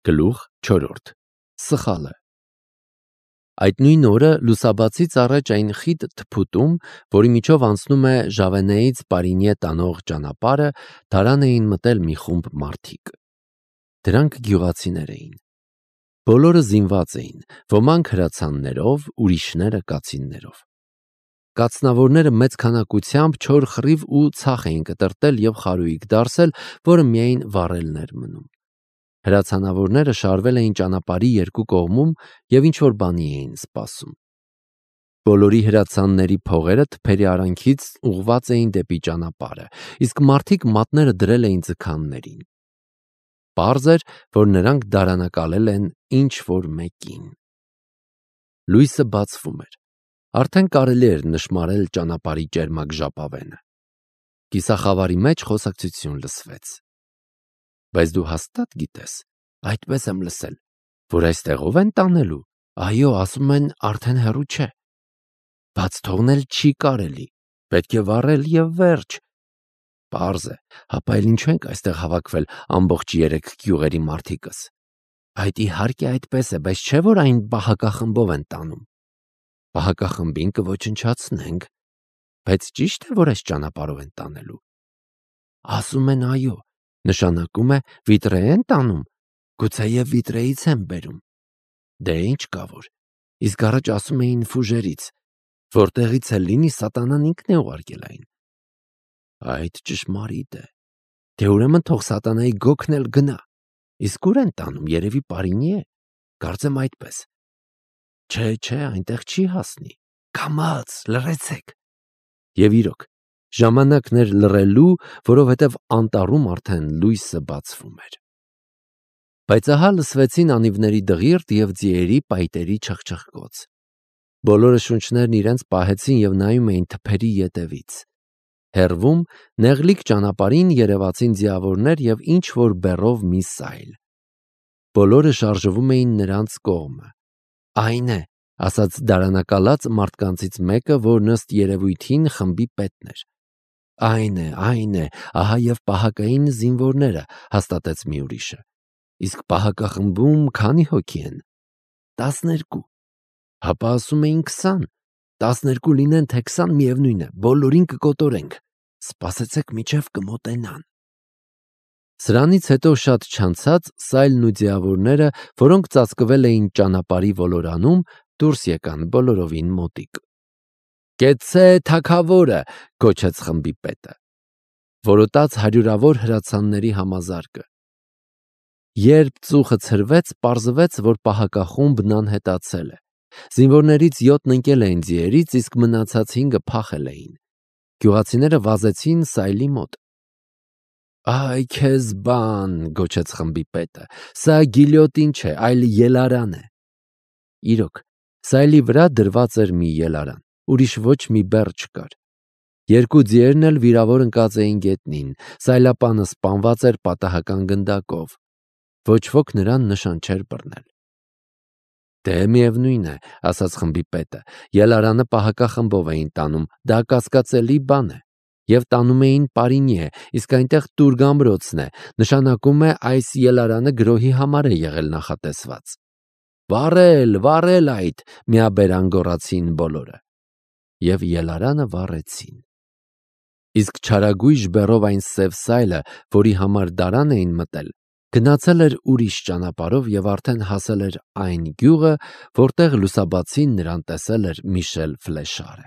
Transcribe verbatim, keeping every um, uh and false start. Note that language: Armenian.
Գլուխ չորրորդ Սխալը Այդ նույն օրը լուսաբացից առաջ այն խիտ թփուտում, որի միջով անցնում է Ժավենեից Պարինյե տանող ճանապարհը, դարան էին մտել մի խումբ մարդիկ։ Դրանք գյուղացիներ էին։ Բոլորը զինված էին, ոմանք հրացաններով, ուրիշները կացիններով։ Կացնավորները մեծ քանակությամբ չոր խռիվ ու ցախ էին կտրտել և խարույկ դարսել, որը միայն վառելն էր մնում։ Հրացանավորները շարվել էին ճանապարհի երկու կողմում և ինչ-որ բանի էին սպասում։ Բոլորի հրացանների փողերը թփերի արանքից ուղղված էին դեպի ճանապարհը, իսկ մարդիկ մատները դրել էին ձգաններին։ Պարզ էր, որ նրանք դարանակալել են ինչ-որ մեկին։ Լույսը բացվում էր։ Արդեն կարելի էր նշմարել ճանապարհի ճերմակ ժապավենը։ Կիսախավարի մեջ խոսակցություն լսվեց. Բայց դու հաստատ գիտես, այդպես եմ լսել, որ այստեղով են տանելու, այո, ասում են արդեն հեռու չէ, բաց թողնել չի կարելի, պետք է վառել և վերջ։ Պարզ է, հապա էլ ինչու ենք այստեղ հավաքվել ամբողջ երեք գյուղերի մարդիկս։ Այդ իհարկե այդպես է, բայց չէ՞ որ այն պահակախմբով են տանում։ Պահակախմբին կոչնչացնենք, բայց ճիշտ է, որ այս ճանապարհով են տանելու։ Ասում են այո, նշանակում է վիտրե են տանում, գուցեև վիտրեից են բերում։ Դե ինչ կա որ, իսկ առաջ ասում էին ֆուժերից, որտեղից էլ լինի սատանան ինքն է ուղարկել այն։ Այդ ճշմարիտ է, դե ուրեմն թող սատանայի գոգն էլ գնա, իսկ ուր են տանում, երևի Պարինյե, կարծեմ այդպես։ Չէ, չէ, այնտեղ չի հասնի, կամաց, լռեցեք։ Եվ իրոք, ժամանակն էր լռելու, որովհետև անտառում արդեն լույսը բացվում էր։ Բայց ահա լսվեցին անիվների դղիրդ և ձիերի պայտերի չխչխկոց։ Բոլորը շունչներն իրենց պահեցին և նայում էին թփերի ետևից։ Հեռվում նեղլիկ ճանապարհին երևացին ձիավորներ և ինչ-որ բեռով մի սայլ։ Բոլորը շարժվում էին նրանց կողմը։ Այն է, ասաց դարանակալած մարդկանցից մեկը, որ ըստ երևույթին խմբի պետն էր։ Այն է, այն է, ահա և պահակային զինվորները, հաստատեց մի ուրիշը։ Իսկ պահակախմբում քանի հոգի են։ Տասներկու։ Հապա ասում էին քսան։ Տասներկու լինեն, թե քսան, միևնույն է, բոլորին կկոտորենք։ Սպասեցեք մինչև կմոտենան։ Սրանից հետո շատ չանցած սայլն ու ձիավորները, որոնք ծածկվել էին ճանապարհի ոլորանում, դուրս եկան բոլորովին մոտիկ։ Կեցցե թագավորը, գոչեց խմբի պետը։ Որոտաց հարյուրավոր հրացանների համազարկը։ Երբ ծուխը ցրվեց, պարզվեց, որ պահակախումբն անհետացել է։ Զինվորներից յոթն ընկել էին ձիերից, իսկ մնացած հինգը փախել էին։ Գյուղացիները վազեցին սայլի մոտ։ Այ քեզ բան, գոչեց խմբի պետը, սա գիլյոտին չէ, այլ ելարան է։ Իրոք, սայլի վրա դրված էր մի ելարան, ուրիշ ոչ մի բեռ չկար։ Երկու ձիերն էլ վիրավոր ընկած էին գետնին, սայլապանը սպանված էր պատահական գնդակով։ Ոչ ոք նրան նշան չէր բռնել։ Դե միևնույն է, ասաց խմբի պետը, ելարանը պահակախմբով էին տանում, դա կասկածելի բան է։ Եվ տանում էին Պարինյե, իսկ այնտեղ տուրգ ամրոցն է, նշանակում է այս ելարանը գրոհի համար է եղել նախատեսված։ Վառել, վառել այդ, միաբերան գոռացին բոլորը։ Եվ ելարանը վառեցին։ Իսկ չարագույժ բեռով այն սև սայլը, որի համար դարան էին մտել, գնացել էր ուրիշ ճանապարհով և արդեն հասել էր այն գյուղը, որտեղ լուսաբացին նրան տեսել էր Միշել Ֆլեշարը։